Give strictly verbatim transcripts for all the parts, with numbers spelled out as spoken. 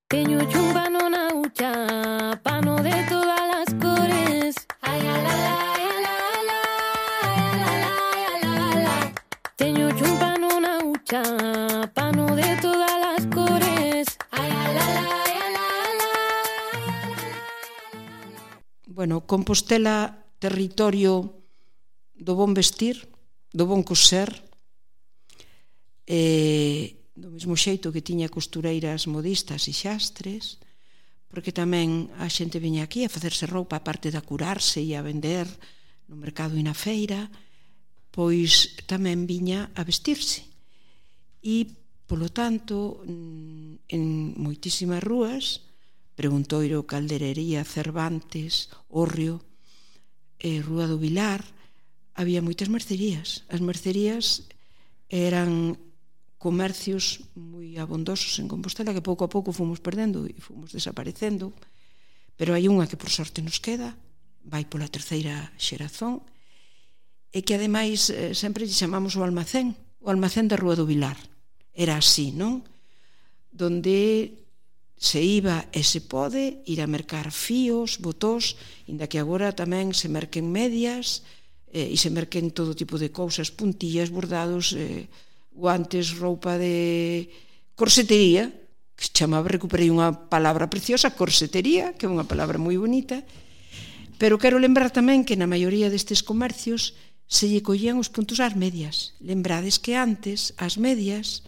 Teño un pano na hucha, pano de todas las cores. Ay, la, la, la, la, la, la, la, la. Teño un pano na hucha, pano de todas las cores. Ay, la, la, la, la, la. Bueno, Compostela, territorio do bon vestir, do bon coser, e do mesmo xeito que tiña costureiras modistas e xastres, porque tamén a xente viña aquí a facerse roupa, a parte de a curarse e a vender no mercado e na feira, pois tamén viña a vestirse. E, polo tanto, en moitísimas rúas, Preguntoiro, Calderería, Cervantes, Hórreo, e Rúa do Vilar, había moitas mercerías. As mercerías eran comercios moi abondosos en Compostela que pouco a pouco fomos perdendo e fomos desaparecendo, pero hai unha que por sorte nos queda, vai pola terceira xerazón, e que ademais sempre lle chamamos o almacén, o almacén da Rúa do Vilar. Era así, non? Donde se iba e se pode ir a mercar fíos, botós, inda que agora tamén se merquen medias e se merquen todo tipo de cousas, puntillas, bordados, eh, guantes, roupa de corsetería, que se chamaba, recuperei unha palabra preciosa, corsetería, que é unha palabra moi bonita, pero quero lembrar tamén que na maioría destes comercios se lle collían os puntos ás medias. Lembrades que antes as medias,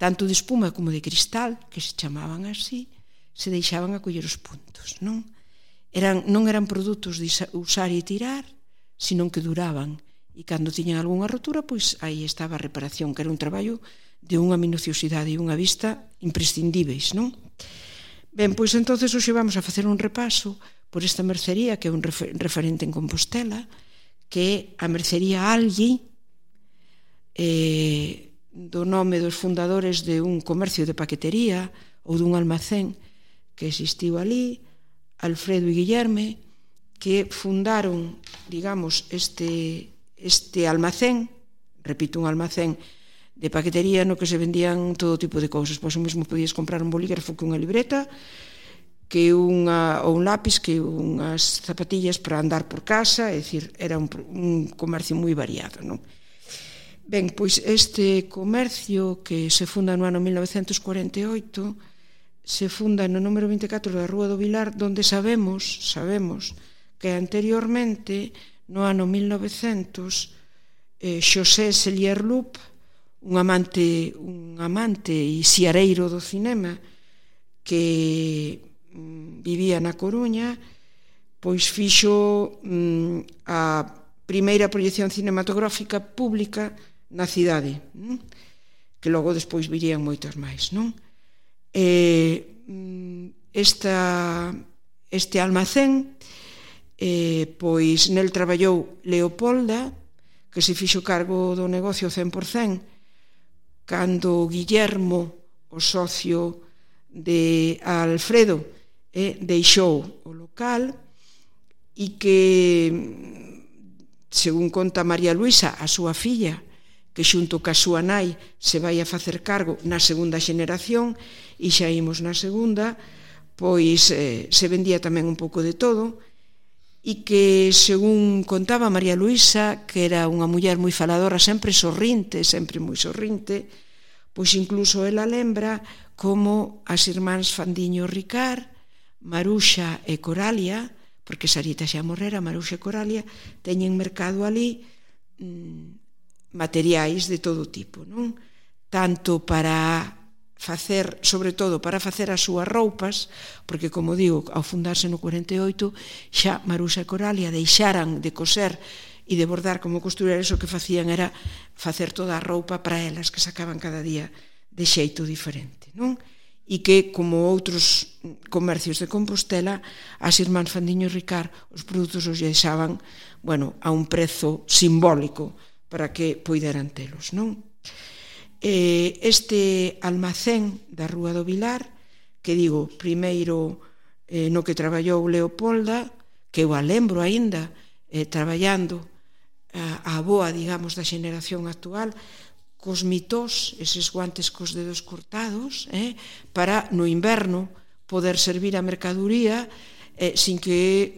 tanto de espuma como de cristal, que se chamaban así, se deixaban a coller os puntos, non? Eran, non eran produtos de usar e tirar, sino que duraban. E cando tiñan algunha rotura, pois aí estaba a reparación, que era un traballo de unha minuciosidade e unha vista imprescindíveis, non? Ben, pois entonces hoxe vamos a facer un repaso por esta mercería, que é un referente en Compostela, que é a mercería Algui, eh, do nome dos fundadores de un comercio de paquetería ou dun almacén que existiu ali, Alfredo e Guillerme, que fundaron, digamos, este... este almacén, repito, un almacén de paquetería no que se vendían todo tipo de cousas, pois o mesmo podías comprar un bolígrafo que unha libreta, que unha, ou un lápis, que unhas zapatillas para andar por casa, é dicir, era un, un comercio moi variado, non? Ben, pois este comercio que se funda no ano mil novecentos cuarenta e oito se funda no número vinte e catro da Rúa do Vilar, donde sabemos, sabemos que anteriormente no ano mil novecentos, eh, Xosé Sellier-Loup, un amante, un amante e xiareiro do cinema que mm, vivía na Coruña, pois fixo mm, a primeira proyección cinematográfica pública na cidade, mm? Que logo despois virían moitas máis, non? E, mm, esta, este almacén, Eh, pois nel traballou Leopolda, que se fixo cargo do negocio cen por cen, cando Guillermo, o socio de Alfredo, eh, deixou o local, e que, según conta María Luisa, a súa filla, que xunto ca súa nai se vai a facer cargo na segunda xeneración, e xa imos na segunda, pois eh, se vendía tamén un pouco de todo, e que, según contaba María Luisa, que era unha muller moi faladora, sempre sorrinte, sempre moi sorrinte, pois incluso ela lembra como as irmáns Fandiño Ricard, Maruxa e Coralia, porque Sarita xa morrera, Maruxa e Coralia, teñen mercado ali mmm, materiais de todo tipo, non? Tanto para facer, sobre todo para facer as súas roupas, porque, como digo, ao fundarse no cuarenta e oito, xa Maruxa e Coralia deixaran de coser e de bordar como costureras, o que facían era facer toda a roupa para elas, que sacaban cada día de xeito diferente, non? E que, como outros comercios de Compostela, as irmáns Fandiño Ricard, os produtos os deixaban, bueno, a un prezo simbólico para que poideran telos, non? Este almacén da Rúa do Vilar, que digo, primeiro eh, no que traballou Leopolda, que eu a lembro aínda eh, traballando a, a boa, digamos, da xeneración actual, cos mitós, eses guantes cos dedos cortados, eh, para no inverno, poder servir a mercadoría eh, sin que,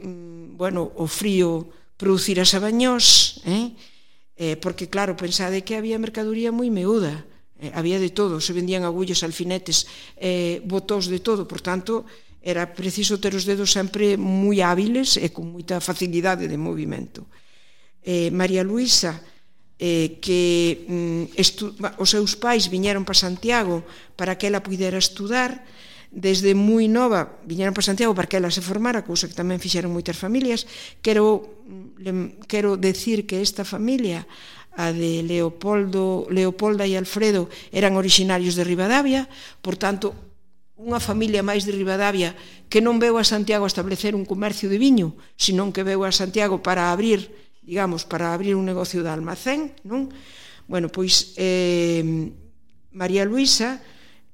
bueno, o frío producira sabañós, eh? Eh, porque, claro, pensade que había mercadoría moi meuda, eh, había de todo, se vendían agullas, alfinetes, eh, botós de todo, por tanto, era preciso ter os dedos sempre moi hábiles e con moita facilidade de movimento. Eh, María Luisa, eh, que mm, estu- os seus pais viñeron para Santiago para que ela pudera estudar, desde moi nova viñeron para Santiago para que ela se formara, cousa que tamén fixeron moitas familias. Quero, quero decir que esta familia, a de Leopoldo, Leopolda e Alfredo, eran orixinarios de Ribadavia, por tanto, unha familia máis de Ribadavia que non veu a Santiago a establecer un comercio de viño, senón que veu a Santiago para abrir, digamos, para abrir un negocio de almacén, non? Bueno, pois eh, María Luisa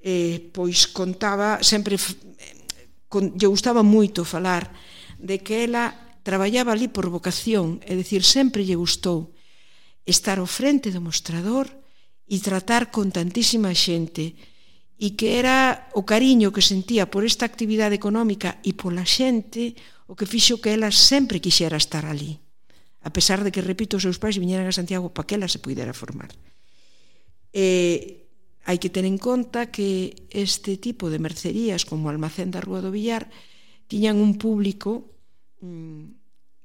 eh, pois contaba, sempre con, lle gustaba moito falar de que ela traballaba ali por vocación, é dicir, sempre lle gustou estar ao frente do mostrador e tratar con tantísima xente, e que era o cariño que sentía por esta actividade económica e pola xente o que fixo que ela sempre quixera estar ali, a pesar de que, repito, os seus pais viñeran a Santiago para que ela se pudera formar. E hai que ter en conta que este tipo de mercerías, como o Almacén da Rúa do Villar, tiñan un público mmm,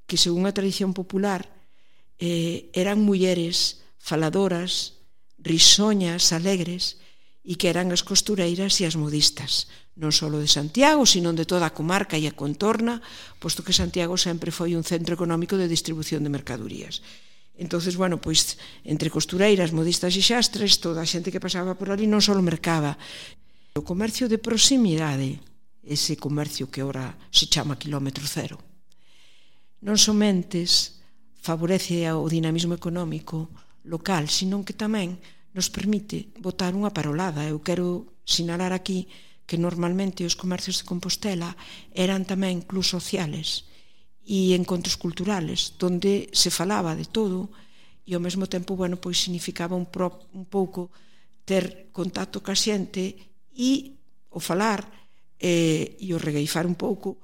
que, según a tradición popular, eh, eran mulleres faladoras, risoñas, alegres, e que eran as costureiras e as modistas, non só de Santiago, sino de toda a comarca e a contorna, posto que Santiago sempre foi un centro económico de distribución de mercadorías. Entonces, bueno, pois, entre costureiras, modistas e xastres, toda a xente que pasaba por ali non só mercaba. O comercio de proximidade, ese comercio que ora se chama quilómetro cero, non somentes favorece o dinamismo económico local, senón que tamén nos permite botar unha parolada. Eu quero sinalar aquí que normalmente os comercios de Compostela eran tamén clubs sociales e encontros culturales, donde se falaba de todo e ao mesmo tempo, bueno, pois significaba un, pro, un pouco ter contacto ca xente e o falar eh, e o regueifar un pouco,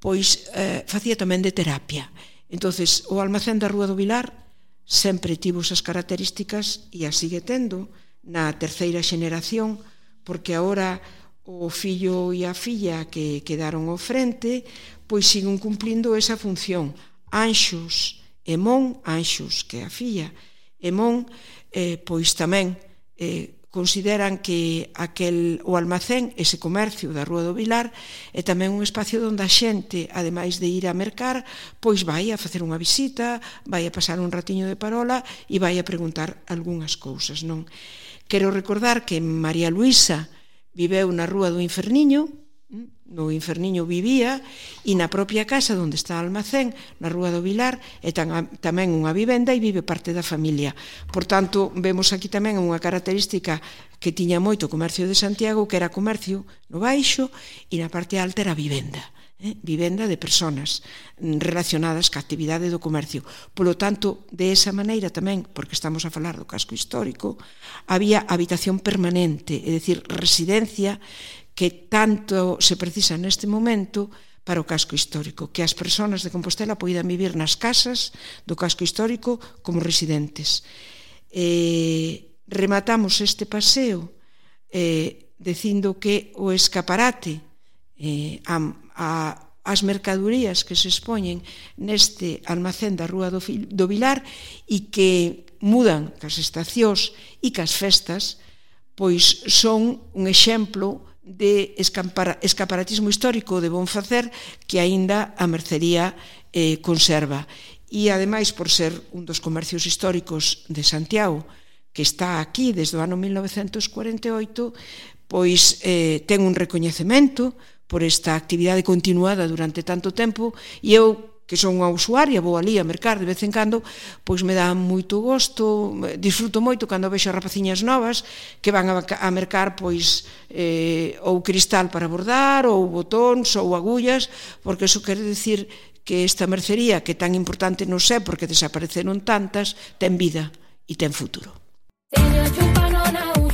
pois eh, facía tamén de terapia. Entonces, o Almacén da Rúa do Vilar sempre tivo esas características e as sigue tendo na terceira xeneración, porque agora o fillo e a filla que quedaron ao frente pois siguen cumplindo esa función. Anxos e Mon, Anxos, que é a filla, e Mon, eh, pois tamén eh, consideran que aquel, o almacén, ese comercio da Rúa do Vilar, é tamén un espacio onde a xente, ademais de ir a mercar, pois vai a facer unha visita, vai a pasar un ratiño de parola e vai a preguntar algunhas cousas, non? Quero recordar que María Luisa viveu na Rúa do Inferniño, no Inferniño vivía, e na propia casa onde está o almacén, na Rúa do Vilar, é tamén unha vivenda e vive parte da familia. Por tanto, vemos aquí tamén unha característica que tiña moito o comercio de Santiago, que era comercio no baixo e na parte alta era vivenda. Eh? Vivenda de personas relacionadas ca actividade do comercio. Polo tanto, de esa maneira tamén, porque estamos a falar do casco histórico, había habitación permanente, é dicir, residencia que tanto se precisa neste momento para o casco histórico, que as persoas de Compostela poidan vivir nas casas do casco histórico como residentes. Eh, rematamos este paseo eh, dicindo que o escaparate eh, a, a, as mercadorías que se expoñen neste almacén da Rúa do, do Vilar e que mudan cas estacións e cas festas, pois son un exemplo de escaparatismo histórico de bon facer que aínda a mercería eh, conserva. E, ademais, por ser un dos comercios históricos de Santiago, que está aquí desde o ano mil novecentos cuarenta e oito, pois eh, ten un recoñecemento por esta actividade continuada durante tanto tempo, e eu, que son unha usuaria, vou ali a mercar de vez en cando, pois me dá moito gosto, disfruto moito cando vexo rapaciñas novas que van a, a mercar pois eh, ou cristal para bordar, ou botóns, ou agullas, porque iso quere dicir que esta mercería, que tan importante non sei porque desapareceron tantas, ten vida e ten futuro. Teño chupa no